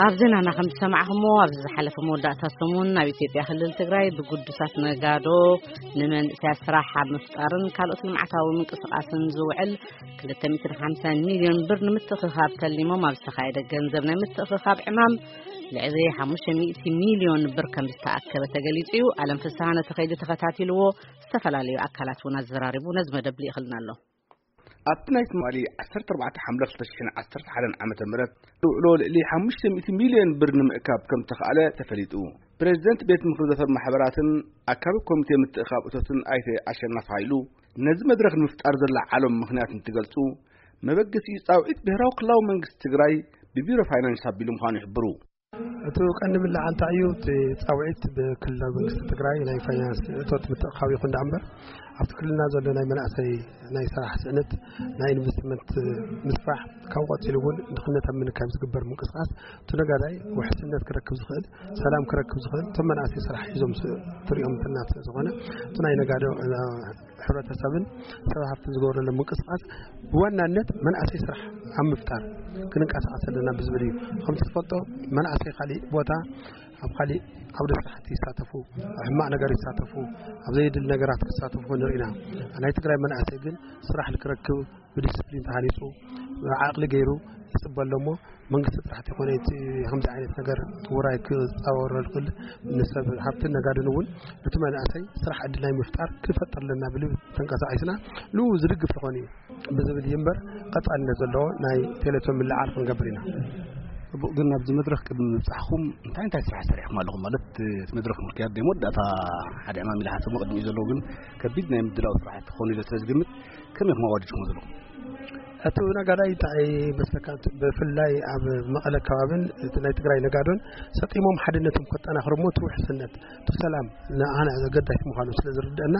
ኣብ ዜናና ከም ዝሰማዕኹሞ፣ ኣብዚ ዝሓለፈ መወዳእታ ሰሙን ኣብ ኢትዮጵያ ክልል ትግራይ ብግዱሳት ነጋዶ ንመንእሰያት ስራሕ ኣብ ምፍጣርን ካልኦት ልምዓታዊ ምንቅስቃስን ዝውዕል ክልተ ሚእትን ሓምሳን ሚልዮን ብር ንምትእኽኻብ ተሊሞም ኣብ ዝተኻየደ ገንዘብ ናይ ምትእኽኻብ ዕማም ልዕሊ ሓሙሽተ ሚእቲ ሚልዮን ብር ከም ዝተኣከበ ተገሊጹ እዩ። ኣለም ፍስሃ ነቲ ከይዲ ተኸታቲልዎ፣ ዝተፈላለዩ ኣካላት እውን ኣዘራሪቡ ነዚ መደብ ልኢኽልና ኣሎ። ኣብቲ ናይ ትማሊ ዓሰርተ ኣርባዕተ ሓምለ ክልተ ሽሕን ዓሰርተ ሓደን ዓመተ ምህረት ዝውዕሎ ልዕሊ ሓሙሽተ ሚእቲ ሚልዮን ብር ንምእካብ ከም ተኻእለ ተፈሊጡ። ፕሬዚደንት ቤት ምኽሪ ዘፈር ማሕበራትን ኣካቢ ኮሚቴ ምትእኻብ እቶትን ኣይተ ኣሸናፊ ሃይሉ ነዚ መድረኽ ንምፍጣር ዘለዓሎም ምኽንያት እንትገልጹ፣ መበገሲኡ ጻውዒት ብሄራዊ ክልላዊ መንግስቲ ትግራይ ብቢሮ ፋይናንስ ኣቢሉ ምዃኑ ይሕብሩ። እቲ ቀንዲ ምልዓል እንታይ እዩ? እቲ ጻውዒት ብክልላዊ መንግስቲ ትግራይ ናይ ፋይናንስ እቶት ምትእኻብ ይኹን ደኣ እምበር፣ ኣብቲ ክልልና ዘሎ ናይ መናእሰይ ናይ ስራሕ ስእነት፣ ናይ ኢንቨስትመንት ምስፋሕ፣ ካብኡ ቀጺሉ እውን ድኽነት ኣብ ምንካይ ዝግበር ምንቅስቃስ፣ እቲ ነጋዳይ ውሕስነት ክረክብ ዝኽእል፣ ሰላም ክረክብ ዝኽእል፣ እቶም መናእሰይ ስራሕ ሒዞም ስ-፣ ትሪኦም እንትና ስለ ዝኾነ፣ እቲ ናይ ነጋዶ፣ እ፣ ሕብረተሰብን ሰብ ሃፍትን ዝገብረሎም ምንቅስቃስ ብዋናነት መናእሰይ ስራሕ ኣብ ምፍጣር ክንንቀሳቐስ ኣለና ብዝብል እዩ። ከምቲ ትፈልጦ፣ መናእሰይ ካሊእ ቦታ ኣብ ካሊእ ዓውደ ስራሕቲ ይሳተፉ፣ ኣብ ሕማቕ ነገር ይሳተፉ፣ ኣብ ዘየድሊ ነገራት ክሳተፉ ንርኢ ኢና። ናይ ትግራይ መናእሰይ ግን ስራሕ ንክረክብ ብዲስፕሊን ተሃኒፁ፣ ዓቕሊ ገይሩ ይፅበ ኣሎ እሞ፣ መንግስቲ ጥራሕ ተይኮነ እቲ ከምዚ ዓይነት ነገር ውራይ ክፃወሮ ዝኽእል ንሰብ ሃብትን ነጋድን እውን እቲ መናእሰይ ስራሕ ዕድል ናይ ምፍጣር ክፈጥር ኣለና ብልብ ተንቀሳቒስና ንኡ ዝድግፍ ተኾነ እዩ ብዝብል እዩ እምበር፣ ቀፃልነት ዘለዎ ናይ ቴሌቶን ምልዓል ክንገብር ኢና። ጽቡቕ፣ ግን ኣብዚ መድረኽ ቅድሚ ምብጻሕኩም እንታይ እንታይ ስራሕ ሰሪሕኩም ኣለኹም? ማለት እቲ መድረኽ ምክያድ ናይ መወዳእታ ሓደ ዕማም ኢለ ሓሰቦ ቅድሚኡ ዘለዉ ግን ከቢድ ናይ ምድላው ስራሕቲ ክኾኑ ኢለ ስለ ዝግምት፣ ከመይ ኢኹም ኣዋዲድኩሞ ዘለኹም? እቲ ነጋዳይ እንታይ መስለካ፣ ብፍላይ ኣብ መቐለ ከባብን እቲ ናይ ትግራይ ነጋዶን ሰጢሞም ሓድነቶም ከጠናኽሩ እሞ እቲ ውሕስነት፣ እቲ ሰላም ንኣና ኣገዳሲ ምዃኑ ስለ ዝርድአና፣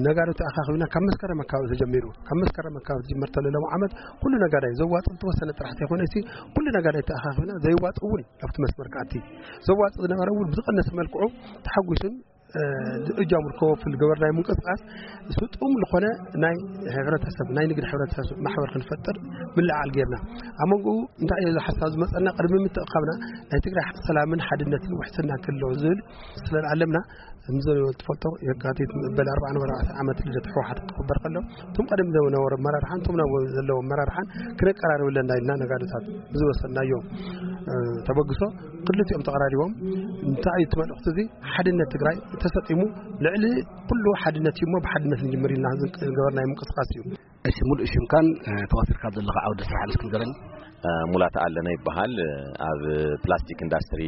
ነጋዶ ተኣኻኺብና ካብ መስከረም ኣካባቢ ተጀሚሩ፣ ካብ መስከረም ኣካባቢ ዝጅመር ተሎ ሎም ዓመት ኩሉ ነጋዳይ ዘዋፅእ ዝተወሰነ ጥራሕ ተይኮነ ሲ ኩሉ ነጋዳይ ተኣኻኺብና፣ ዘይዋፅእ እውን ኣብቲ መስመር ክኣቲ፣ ዘዋፅእ ዝነበረ እውን ብዝቐነሰ መልክዑ ተሓጒሱን እ፣ እጃሙ ዝከወፍል ገበርናይ ምንቅስቃስ ስጡም ዝኾነ ናይ ሕብረተሰብ፣ ናይ ንግድ ሕብረተሰብ ማሕበር ክንፈጥር ምልዓል ጌርና። ኣብ መንጎኡ እንታይ እዩ እዚ ሓሳብ ዝመጸና? ቅድሚ ምትእኻብና ናይ ትግራይ ሰላምን ሓድነትን ውሕስና ክህልዎ ዝብል ስለ ዝዓለምና፣ ከምዚ ትፈልጦ የካቲት መበል ኣርባዓን ኣርባዕተን ዓመት ልደት ህወሓት ክኽበር ከሎ፣ እቶም ቀደም ዝነበሩ ኣመራርሓን እቶም ናብ ዘለዉ ኣመራርሓን ክነቀራርብ ኣለና ኢልና ነጋዶታት ብዝወሰድናዮ፣ እ፣ ተበግሶ ክልቲኦም ተቐራሪቦም። እንታይ እዩ እቲ መልእኽቲ እዚ? ሓድነት ትግራይ ተሰጢሙ ልዕሊ ኩሉ ሓድነት እዩ እሞ ብሓድነት ንጅምር ኢልና ዝገበርናዮ ምንቅስቃስ እዩ። እሺ፣ ሙሉእ ሽምካን፣ እ፣ ተዋፊርካ ዘለኻ ዓውደ ስራሕ እስኪ ንገረኒ። እ፣ ሙላት ኣለነ ይበሃል። እ፣ ኣብ ፕላስቲክ ኢንዳስትሪ፣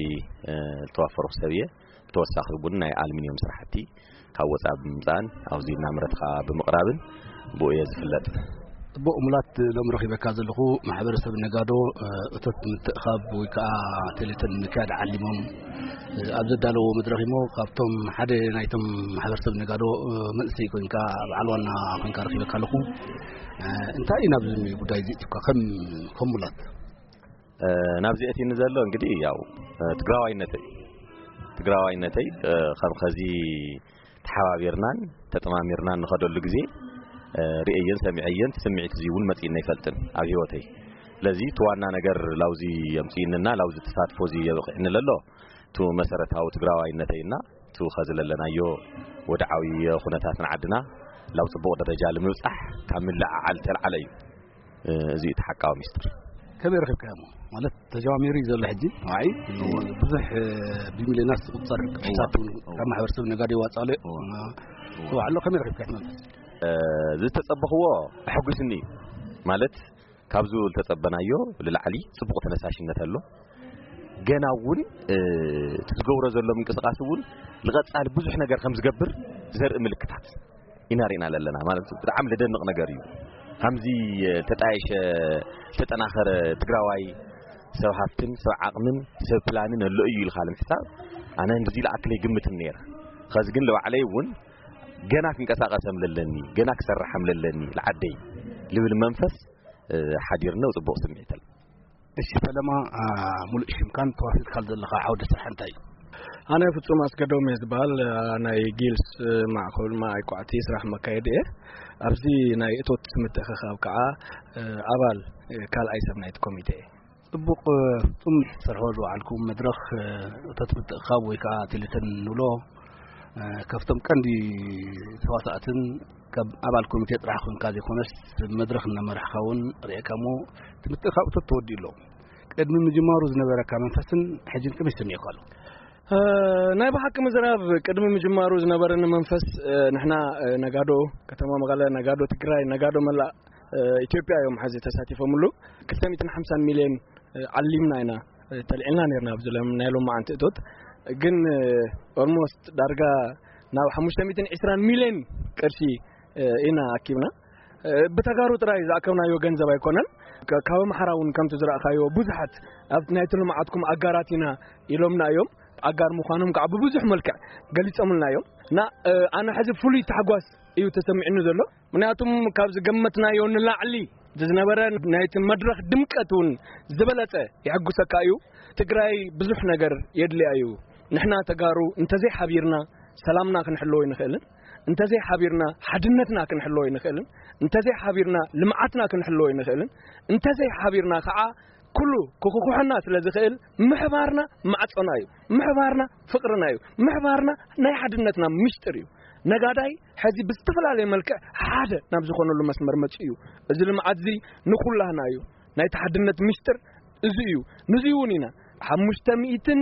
እ፣ ዝተዋፈርኩ ሰብ እየ። ብተወሳኺ እውን ናይ ኣልሚንዮም ስራሕቲ ካብ ወፃኢ ብምምፃእን ኣብዚ እናምረትካ ብምቕራብን ብኡ እየ ዝፍለጥ። ጽቡቕ ሙላት፣ ሎም ረኺበካ ዘለኹ ማሕበረሰብ ነጋዶ፣ እ፣ እቶት ምትእኻብ ወይ ከዓ ቴሌቶን ንምክያድ ዓሊሞም፣ እ፣ ኣብ ዘዳለዎ መድረኽ እሞ ካብቶም ሓደ ናይቶም ማሕበረሰብ ነጋዶ፣ እ፣ መንእሰይ ኮይንካ በዓል ዋና ኮይንካ ረኺበካ ኣለኹ። እ፣ እንታይ እዩ ናብዚ ጉዳይ እዚ እትካ ከም፣ ከም ሙላት? እ፣ ናብዚ ኣእትዩኒ ዘሎ እንግዲህ ያው፣ እ፣ ትግራዋይነተይ፣ ትግራዋይነተይ፣ እ፣ ከም ኸዚ ተሓባቢርናን ተጠማሚርናን ንኸደሉ ግዜ፣ እ፣ ርእየየን ሰሚዐየን፣ እቲ ስምዒት እዚ እውን መጺእኒ ኣይፈልጥን ኣብ ህይወተይ። ስለዚ እቲ ዋና ነገር ላውዚ የምጽእንና፣ ላውዚ ተሳትፎ እዚ የብቕዕኒ ለሎ፣ እቲ መሰረታዊ ትግራዋይነተይና፣ እቲ ኸዚ ለለናዮ ወድዓዊ ኩነታት ንዓድና ላብ ጽቡቕ ደረጃ ንምብጻሕ ካብ ምልዕዓል ተልዓለ እዩ። እ፣ እዚ እዩ እቲ ሓቃዊ ሚስጥር። ከመይ ረኺብካዮ እሞ? ማለት ተጀማሚሩ እዩ ዘሎ ሕጂ። ኣይ፣ ብዙሕ፣ እ፣ ብሚልዮናት ዝቑጸር እዋ፣ ቅርሽታት እውን እዋ። ካብ ማሕበረሰብ ነጋዶ ይዋጽእ ኣሎ። እዋ። እዋ። እዋ፣ ኣሎ። ከመይ ረኺብካዮ እቲ መንፈስ? እ፣ ዝተጸበኽዎ ኣሐጒስኒ እዩ። ማለት ካብዚ ዝተጸበናዮ ንላዕሊ ጽቡቕ ተነሳሽነት ኣሎ። ገና እውን፣ እ፣ እቲ ዝገብሮ ዘሎ ምንቅስቃስ እውን ንቐጻሊ ብዙሕ ነገር ከም ዝገብር ዘርኢ ምልክታት ኢና ርኢና ዘለና። ማለት ብጣዕሚ ዘደንቕ ነገር እዩ። ከምዚ፣ እ፣ ተጣየሸ፣ ዝተጠናኸረ ትግራዋይ ሰብ ሃብትን ሰብ ዓቕምን ሰብ ፕላንን ኣሎ እዩ ኢልካ ንምሕሳብ ኣነ እንደዚ ዝኣክል ኣይግምትን ነይረ። ኸዚ ግን ንባዕለይ እውን ገና ክንቀሳቐስ ከም ለለኒ፣ ገና ክሰርሕ ከም ለለኒ ንዓደይ ልብል መንፈስ፣ እ፣ ሓዲርኒ፣ ጽቡቕ ስምዒት ኣሎ። እሺ ፈለማ፣ አ፣ ሙሉእ ሽምካን ተዋፊርካሉ ዘለኻ ዓውደ ስራሕ እንታይ እዩ? ኣነ ፍጹም ኣስገዶም እየ ዝበሃል። ናይ ጊልስ ማዕከል ማይ ኳዕቲ ስራሕ መካየዲ እየ። ኣብዚ ናይ እቶት ምትእኽኻብ ከዓ ኣባል ካልኣይ ሰብ ናይቲ ኮሚቴ እየ። ጽቡቕ። ፍጹም ትሰርሖ ዝወዓልኩም መድረኽ እቶት ምትእኽኻብ ወይ ከዓ ቴሌተን ንብሎ፣ ካብቶም ቀንዲ ተዋሳእትን ካብ ኣባል ኮሚቴ ጥራሕ ኮንካ ዘይኮነስ መድረኽ እናመራሕካ እውን ርእየካ እሞ እቲ ምትእኽኻብ እቶት ተወዲኡ ኣሎ። ቅድሚ ምጅማሩ ዝነበረካ መንፈስን ሕጂን ከመይ ይስምዕካ ኣሎ? እ፣ ናይ ብሓቂ ምዝራብ ቅድሚ ምጅማሩ ዝነበረኒ መንፈስ፣ እ፣ ንሕና፣ እ፣ ነጋዶ ከተማ መቐለ፣ ነጋዶ ትግራይ፣ ነጋዶ መላእ፣ እ፣ ኢትዮጵያ እዮም ሓዚ ተሳቲፎምሉ። ክልተ ሚእትን ሓምሳን ሚልዮን፣ እ፣ ዓሊምና ኢና፣ እ፣ ተልዒልና ነርና ኣብዚ ሎም-፣ ናይ ሎማዓንቲ እቶት። ግን፣ እ፣ ኦልሞስት ዳርጋ ናብ ሓሙሽተ ሚእትን ዕስራን ሚልዮን ቅርሺ፣ እ፣ ኢና ኣኪብና። እ፣ ብተጋሩ ጥራይ ዝኣከብናዮ ገንዘብ ኣይኮነን። ከ-፣ ካብ ኣምሓራ እውን ከምቲ ዝረኣኻዮ ብዙሓት ኣብ ናይቲ ልምዓትኩም ኣጋራት ኢና ኢሎምና እዮም። ኣጋር ምዃኖም ከዓ ብብዙሕ መልክዕ ገሊጾምልና እዮም። እና፣ እ፣ ኣነ ሕዚ ፍሉይ ታሕጓስ እዩ ተሰሚዕኒ ዘሎ። ምክንያቱም ካብ ዝገመትናዮ ንላዕሊ ዝነበረ ናይቲ መድረኽ ድምቀት እውን ዝበለጸ የሐጉሰካ እዩ። ትግራይ ብዙሕ ነገር የድልያ እዩ። ንሕና ተጋሩ እንተዘይ ሓቢርና ሰላምና ክንሕልዎ ኣይንኽእልን። እንተዘይ ሓቢርና ሓድነትና ክንሕልዎ ኣይንኽእልን። እንተዘይ ሓቢርና ልምዓትና ክንሕልዎ ኣይንኽእልን። እንተዘይ ሓቢርና ከዓ ኩሉ ክኹኩሐና ስለ ዝኽእል ምሕባርና ማዕጾና እዩ። ምሕባርና ፍቕርና እዩ። ምሕባርና ናይ ሓድነትና ምስጢር እዩ። ነጋዳይ ሕዚ ብዝተፈላለየ መልክዕ ሓደ ናብ ዝኾነሉ መስመር መጺኡ እዩ። እዚ ልምዓት እዚ ንኹላህና እዩ። ናይቲ ሓድነት ምስጢር እዚ እዩ። ንዚ እውን ኢና ሓሙሽተ ሚእትን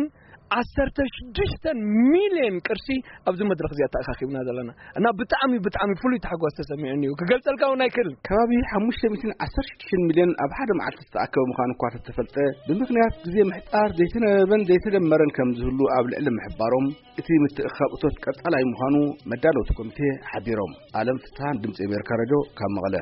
ዓሰርተ ሽዱሽተ ሚልዮን ቅርሲ ኣብዚ መድረኽ እዚ ኣተኣኻኺብና ዘለና። እና ብጣዕሚ፣ ብጣዕሚ ፍሉይ ታሕጓስ ተሰሚዑኒ እዩ። ክገልጸልካ እውን ኣይክእልን። ከባቢ ሓሙሽተ ሚእትን ዓሰርተ ሽዱሽተ ሚልዮን ኣብ ሓደ መዓልቲ ዝተኣከበ ምዃኑ እኳ ተተፈልጠ፣ ብምኽንያት ግዜ ምሕጻር ዘይተነበበን ዘይተደመረን ከም ዝህሉ ኣብ ልዕሊ ምሕባሮም፣ እቲ ምትእኽኻብ እቶት ቀጻላይ ምዃኑ መዳለውቲ ኮሚቴ ሓቢሮም። ኣለም ፍትሃን ድምጺ ኣሜሪካ ሬድዮ ካብ መቐለ።